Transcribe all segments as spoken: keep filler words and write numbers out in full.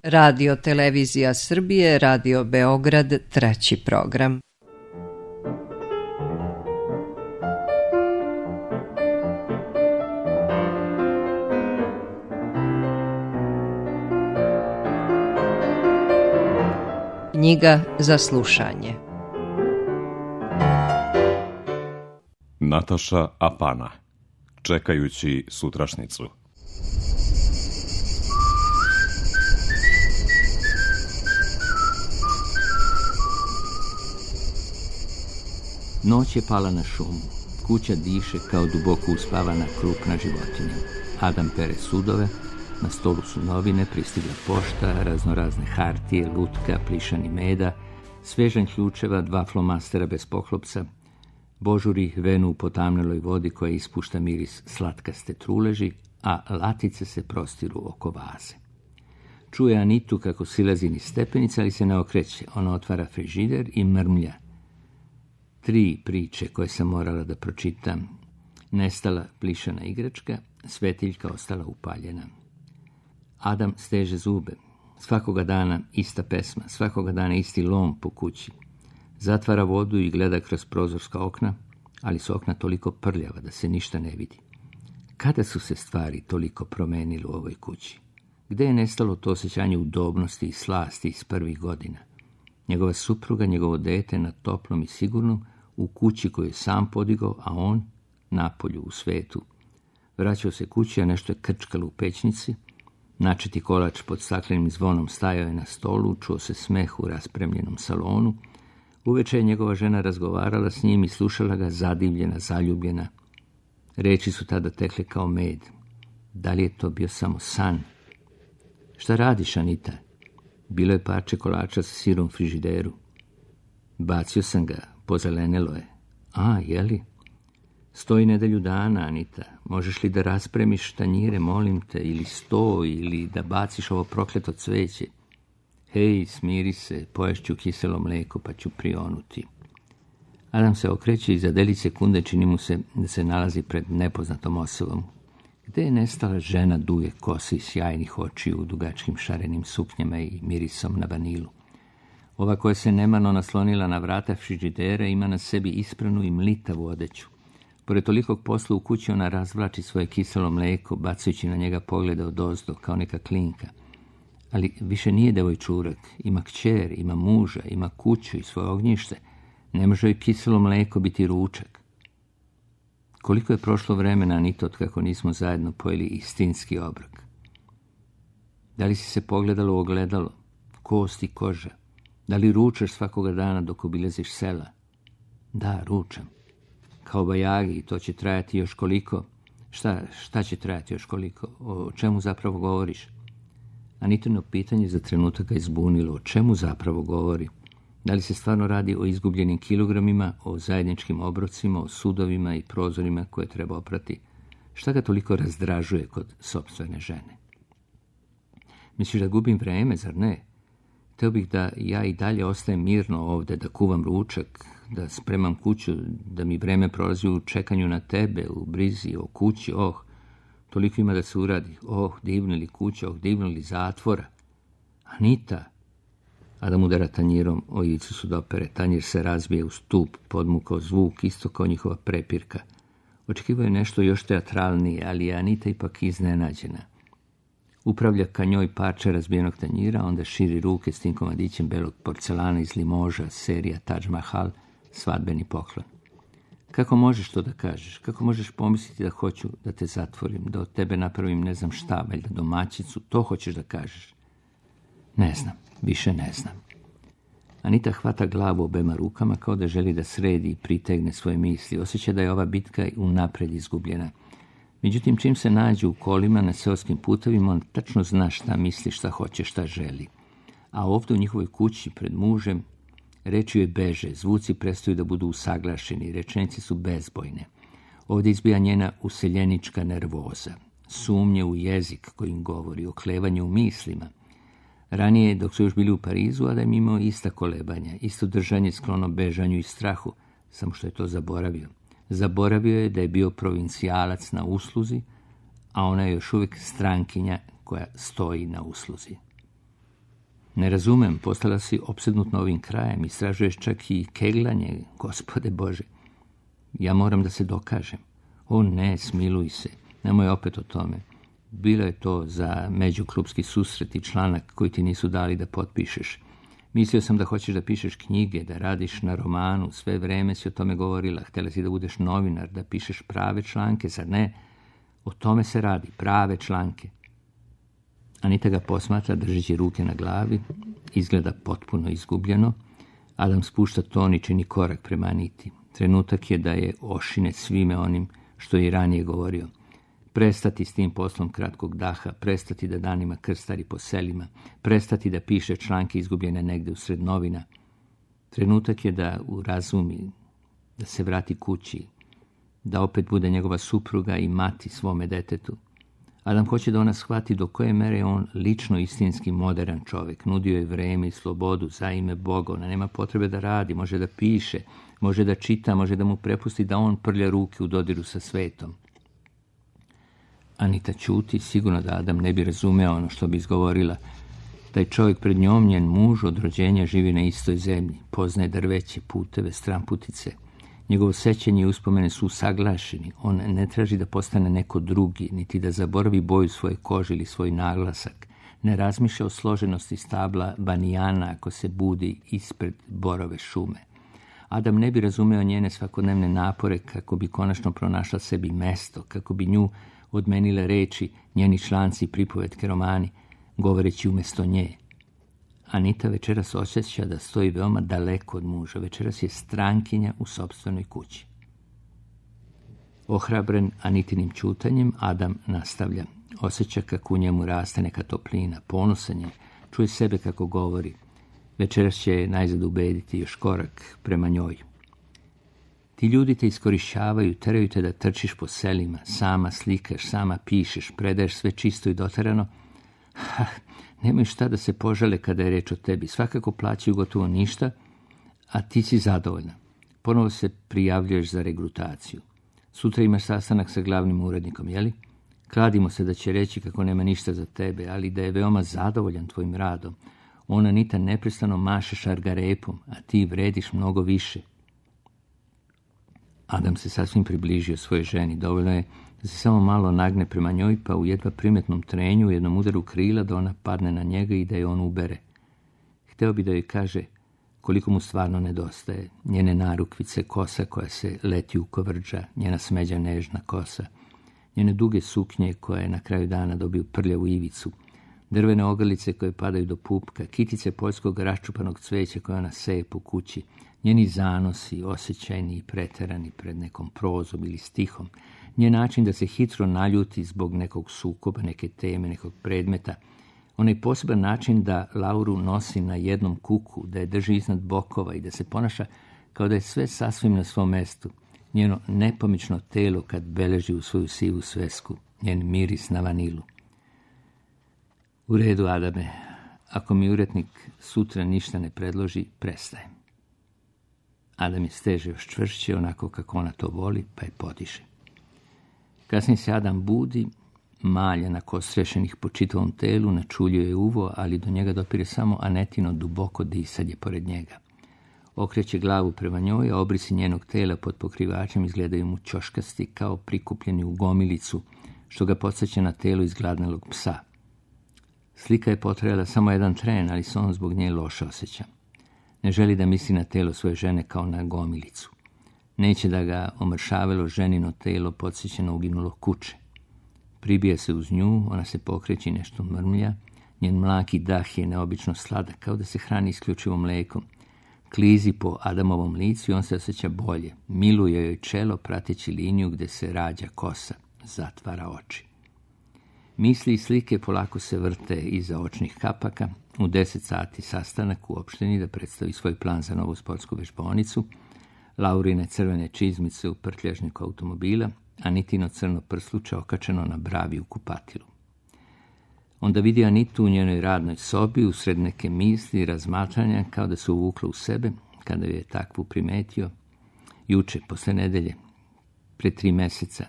Radio Televizija Srbije, Radio Beograd, treći program. Knjiga za slušanje. Nataša Apana, Čekajući sutrašnicu. Noć je pala na šumu. Kuća diše kao duboko uspavana krupna životinja. Adam pere sudove, na stolu su novine, pristigla pošta, raznorazne hartije, lutka, plišani meda, svežanj ključeva, dva flomastera bez poklopca, božuri venu u potamneloj vodi koja ispušta miris slatkaste truleži, a latice se prostiru oko vaze. Čuje Anitu kako silazi niz stepenice, ali se ne okreće. Ona otvara frižider i mrmlja. Tri priče koje sam morala da pročitam. Nestala plišana igračka, svetiljka ostala upaljena. Adam steže zube. Svakoga dana ista pesma, svakoga dana isti lom po kući. Zatvara vodu i gleda kroz prozorska okna, ali su okna toliko prljava da se ništa ne vidi. Kada su se stvari toliko promenile u ovoj kući? Gde je nestalo to osjećanje udobnosti i slasti iz prvih godina? Njegova supruga, njegovo dete na toplom i sigurnom, u kući koju je sam podigao, a on napolju u svetu. Vraćao se kući, a nešto je krčkalo u pećnici. Načeti kolač pod staklenim zvonom stajao je na stolu, čuo se smeh u raspremljenom salonu. Uveče je njegova žena razgovarala s njim i slušala ga zadivljena, zaljubljena. Reči su tada tekle kao med. Da li je to bio samo san? Šta radiš, Anita? Bilo je parče kolača sa sirom u frižideru. Bacio sam ga, pozelenelo je. A, jeli? Stoji nedelju dana, Anita. Možeš li da raspremiš tanjire, molim te, ili sto, ili da baciš ovo prokleto cveće? Hej, smiri se, poješću kiselo mleko, pa ću prionuti. Adam se okreće i za delić sekunde čini mu se da se nalazi pred nepoznatom osobom. Gde je nestala žena duge kose i sjajnih očiju u dugačkim šarenim suknjama i mirisom na vanilu? Ova koja se nemarno naslonila na vrata frižidera ima na sebi ispranu i mlitavu odeću. Pored tolikog posla u kući ona razvlači svoje kiselo mleko, bacajući na njega poglede odozdo, kao neka klinka. Ali više nije devojčurak, ima kćer, ima muža, ima kuću i svoje ognjište. Ne može joj kiselo mleko biti ručak. Koliko je prošlo vremena, Anito, od kako nismo zajedno pojeli istinski obrok? Da li si se pogledalo u ogledalo? Kost i koža. Da li ručaš svakoga dana dok obilaziš sela? Da, ručam. Kao bajagi, i to će trajati još koliko? Šta, šta će trajati još koliko? O čemu zapravo govoriš? Anitino pitanje za trenutak ga izbunilo. O čemu zapravo govori? Da li se stvarno radi o izgubljenim kilogramima, o zajedničkim obrocima, o sudovima i prozorima koje treba oprati? Šta ga toliko razdražuje kod sopstvene žene? Misliš da gubim vreme, zar ne? Hteo bih da ja i dalje ostajem mirno ovde, da kuvam ručak, da spremam kuću, da mi vreme prolazi u čekanju na tebe, u brizi o kući, oh, toliko ima da se uradi, oh, divna li kuća, oh, divna li zatvora. Anita! Adam udara tanjirom o ivicu sudopere, tanjir se razbije u stup, podmukao zvuk, isto kao njihova prepirka. Očekivao je nešto još teatralnije, ali je Anita ipak iznenađena. Upravlja ka njoj parče razbijenog tanjira, onda širi ruke s tim komadićem belog porcelana iz Limoža, serija Taj Mahal, svadbeni poklon. Kako možeš to da kažeš? Kako možeš pomisliti da hoću da te zatvorim, da od tebe napravim ne znam šta, valjda domaćicu, to hoćeš da kažeš? Ne znam, više ne znam. Anita hvata glavu obema rukama kao da želi da sredi i pritegne svoje misli. Osjeća da je ova bitka unapred izgubljena. Međutim, čim se nađe u kolima na seoskim putovima, on tačno zna šta misli, šta hoće, šta želi. A ovdje u njihovoj kući, pred mužem, reči joj beže, zvuci prestaju da budu usaglašeni, rečenice su bezbojne. Ovdje izbija njena useljenička nervoza, sumnje u jezik kojim govori, oklevanje u mislima. Ranije, dok su još bili u Parizu, Adam imao ista kolebanja, isto držanje sklono bežanju i strahu, samo što je to zaboravio. Zaboravio je da je bio provincijalac na usluzi, a ona je još uvijek strankinja koja stoji na usluzi. Ne razumem, postala si opsednut novim krajem, istražuješ čak i keglanje, Gospode Bože. Ja moram da se dokažem. O ne, smiluj se, nemoj opet o tome. Bilo je to za međuklubski susret i članak koji ti nisu dali da potpišeš. Mislio sam da hoćeš da pišeš knjige, da radiš na romanu, sve vreme si o tome govorila. Htjela si da budeš novinar, da pišeš prave članke, sad ne. O tome se radi, prave članke. Anita ga posmatra držeći ruke na glavi, izgleda potpuno izgubljeno. Adam spušta ton i čini korak prema Aniti. Trenutak je da je ošine svime onim što je i ranije govorio. Prestati s tim poslom kratkog daha, prestati da danima krstari po selima, prestati da piše članke izgubljene negde usred novina. Trenutak je da urazumi, da se vrati kući, da opet bude njegova supruga i mati svome detetu. Adam hoće da ona shvati do koje mere je on lično istinski modern čovjek. Nudio je vreme i slobodu za ime Boga. Ona nema potrebe da radi, može da piše, može da čita, može da mu prepusti da on prlja ruke u dodiru sa svetom. Anita ćuti, sigurno da Adam ne bi razumeo ono što bi izgovorila. Taj čovjek pred njom, njen muž, od rođenja živi na istoj zemlji, poznaje drveće, puteve, stramputice. Njegovo sećanje i uspomene su usaglašeni. On ne traži da postane neko drugi, niti da zaboravi boju svoje kože ili svoj naglasak. Ne razmišlja o složenosti stabla banijana ako se budi ispred borove šume. Adam ne bi razumeo njene svakodnevne napore kako bi konačno pronašla sebi mesto, kako bi nju odmenile reči, njeni članci i pripovetke romani, govoreći umjesto nje. Anita večeras osjeća da stoji veoma daleko od muža. Večeras je strankinja u sopstvenoj kući. Ohrabren Anitinim ćutanjem, Adam nastavlja. Osjeća kako u njemu raste neka toplina, ponosan je, čuje sebe kako govori. Večeras će najzad ubediti još korak prema njoj. Ti ljudi te iskorišćavaju, teraju te da trčiš po selima, sama slikaš, sama pišeš, predaješ sve čisto i doterano. Ha, nemoj šta da se požale kada je reč o tebi. Svakako plaćaju gotovo ništa, a ti si zadovoljna. Ponovo se prijavljuješ za regrutaciju. Sutra imaš sastanak sa glavnim urednikom, jeli? Kladimo se da će reći kako nema ništa za tebe, ali da je veoma zadovoljan tvojim radom. Ona Anita neprestano maše šargarepom, a ti vrediš mnogo više. Adam se sasvim približio svojoj ženi. Dovoljno je da se samo malo nagne prema njoj, pa u jedva primetnom trenju, u jednom udaru krila, da ona padne na njega i da je on ubere. Hteo bi da joj kaže koliko mu stvarno nedostaje. Njene narukvice, kosa koja se leti u kovrđa, njena smeđa nežna kosa, njene duge suknje koje na kraju dana dobiju prljavu ivicu, drvene ogrlice koje padaju do pupka, kitice poljskog raščupanog cveća koje ona seje po kući, njeni zanosi, osjećajni i preterani pred nekom prozom ili stihom, njen način da se hitro naljuti zbog nekog sukoba, neke teme, nekog predmeta, onaj poseban način da Lauru nosi na jednom kuku, da je drži iznad bokova i da se ponaša kao da je sve sasvim na svom mestu, njeno nepomično telo kad beleži u svoju sivu svesku, njen miris na vanilu. U redu, Adame, ako mi urednik sutra ništa ne predloži, prestajem. Adam je steže još čvršće, onako kako ona to voli, pa je podiše. Kasnije se Adam budi, malja na kostrešenih po čitavom telu, načuljuje uvo, ali do njega dopire samo Anetino duboko disanje pored njega. Okreće glavu prema njoj, a obrisi njenog tela pod pokrivačem izgledaju mu ćoškasti kao prikupljeni u gomilicu, što ga podsjeća na telo izgladnelog psa. Slika je potrajala samo jedan tren, ali se on zbog nje loše osjeća. Ne želi da misli na telo svoje žene kao na gomilicu. Neće da ga omršavelo ženino telo podsjećeno uginulo kuće. Pribija se uz nju, ona se pokreće i nešto mrmlja. Njen mlaki dah je neobično sladak, kao da se hrani isključivo mlekom. Klizi po Adamovom licu i on se osjeća bolje. Miluje joj čelo prateći liniju gde se rađa kosa. Zatvara oči. Misli i slike polako se vrte iza očnih kapaka. U deset sati sastanak u opštini da predstavi svoj plan za novu sportsku vežbaonicu. Laurine crvene čizmice u prtljažniku automobila, Anitino crno prsluče okačeno na bravi u kupatilu. Onda vidi Anitu u njenoj radnoj sobi, usred neke misli i razmatranja, kao da se uvukla u sebe, kada je takvu primetio. Juče, posle nedelje, pre tri meseca.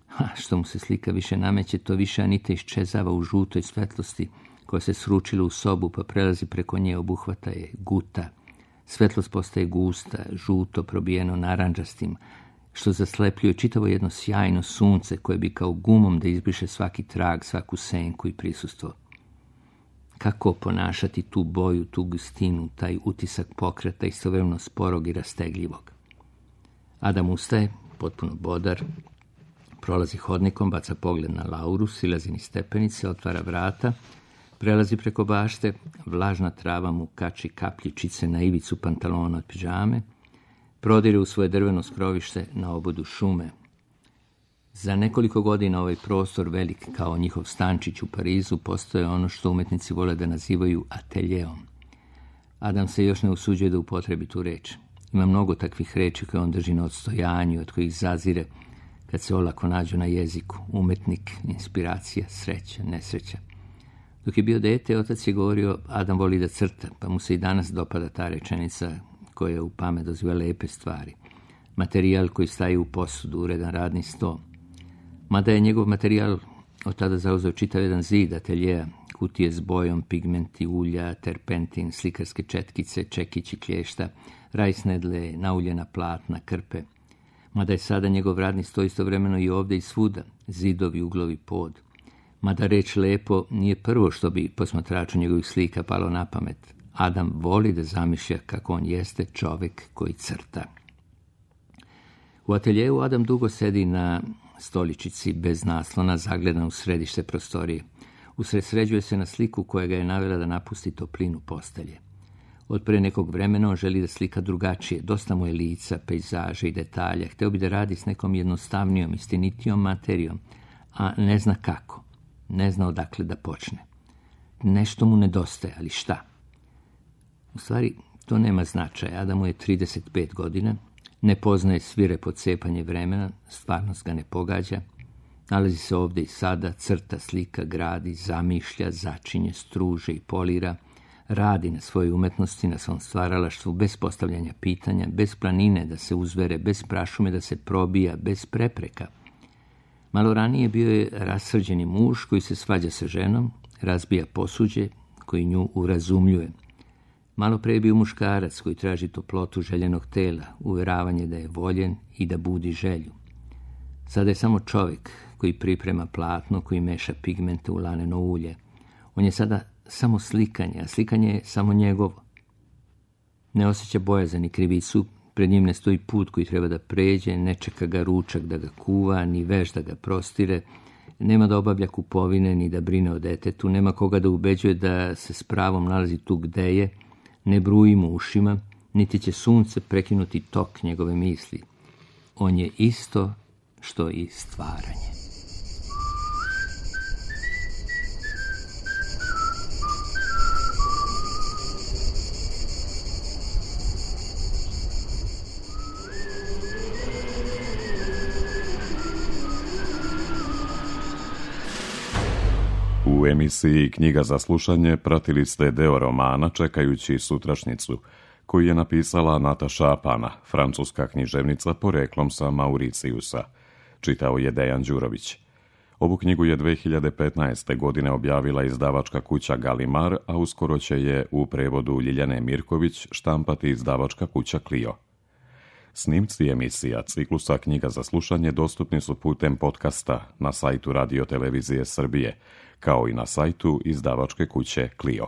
Ha, što mu se slika više nameće, to više Anita iščezava u žutoj svetlosti, koja se sručila u sobu pa prelazi preko nje, obuhvata je guta. Svetlost postaje gusta, žuto, probijeno narandžastim, što zaslepljuje čitavo jedno sjajno sunce koje bi kao gumom da izbriše svaki trag, svaku senku i prisustvo. Kako ponašati tu boju, tu gustinu, taj utisak pokreta istovremeno sporog i rastegljivog? Adam ustaje, potpuno bodar, prolazi hodnikom, baca pogled na Lauru, silazi niz stepenice, otvara vrata, prelazi preko bašte, vlažna trava mu kači kapljičice na ivicu pantalona od pidžame, prodire u svoje drveno skrovište na obodu šume. Za nekoliko godina ovaj prostor, velik kao njihov stančić u Parizu, postoje ono što umetnici vole da nazivaju ateljeom. Adam se još ne usuđuje da upotrebi tu reč. Ima mnogo takvih reči koje on drži na odstojanju, od kojih zazire kad se olako nađu na jeziku. Umetnik, inspiracija, sreća, nesreća. Dok je bio dete, otac je govorio, Adam voli da crta, pa mu se i danas dopada ta rečenica koja u pamet doziva lepe stvari. Materijal koji staje u posudu, uredan radni sto. Mada je njegov materijal od tada zauzeo čitav jedan zid ateljeja, kutije s bojom, pigmenti, ulja, terpentin, slikarske četkice, čekići klješta, rajsnedle, nauljena platna, krpe. Mada je sada njegov radni sto istovremeno i ovdje i svuda, zidovi, uglovi, pod. Mada reč lepo nije prvo što bi posmatraču njegovih slika palo na pamet. Adam voli da zamišlja kako on jeste čovjek koji crta. U ateljeju Adam dugo sedi na stoličici bez naslona, zagledan u središte prostorije. Usredsređuje se na sliku koja ga je navela da napusti toplinu postelje. Od pre nekog vremena on želi da slika drugačije, dosta mu je lica, pejzaže i detalja, hteo bi da radi s nekom jednostavnijom, istinitijom materijom, a ne zna kako, ne zna odakle da počne. Nešto mu nedostaje, ali šta? U stvari, to nema značaja. Adamu je trideset pet godina, ne poznaje svirepo cepanje vremena, stvarnost ga ne pogađa, nalazi se ovdje i sada, crta, slika, gradi, zamišlja, začinje, struže i polira, radi na svojoj umetnosti, na svom stvaralaštvu, bez postavljanja pitanja, bez planine da se uzvere, bez prašume da se probija, bez prepreka. Malo ranije bio je rasrđeni muž koji se svađa sa ženom, razbija posuđe, koji nju urazumljuje. Malo pre je bio muškarac koji traži toplotu željenog tela, uveravanje da je voljen i da budi želju. Sada je samo čovjek koji priprema platno, koji meša pigmente u laneno ulje. On je sada samo slikanje, a slikanje je samo njegovo. Ne osjeća bojazan ni krivicu, pred njim ne stoji put koji treba da pređe, ne čeka ga ručak da ga kuva, ni veš da ga prostire, nema da obavlja kupovine, ni da brine o detetu, nema koga da ubeđuje da se s pravom nalazi tu gde je, ne bruji mu ušima, niti će sunce prekinuti tok njegove misli. On je isto što i stvaranje. U emisiji Knjiga za slušanje pratili ste deo romana Čekajući sutrašnjicu, koji je napisala Nataša Apana, francuska književnica poreklom sa Mauricijusa. Čitao je Dejan Đurović. Ovu knjigu je dve hiljade petnaeste. godine objavila izdavačka kuća Galimar, a uskoro će je u prevodu Ljiljane Mirković štampati izdavačka kuća Clio. Snimci emisija ciklusa Knjiga za slušanje dostupni su putem podcasta na sajtu Radio Televizije Srbije, kao i na sajtu izdavačke kuće Clio.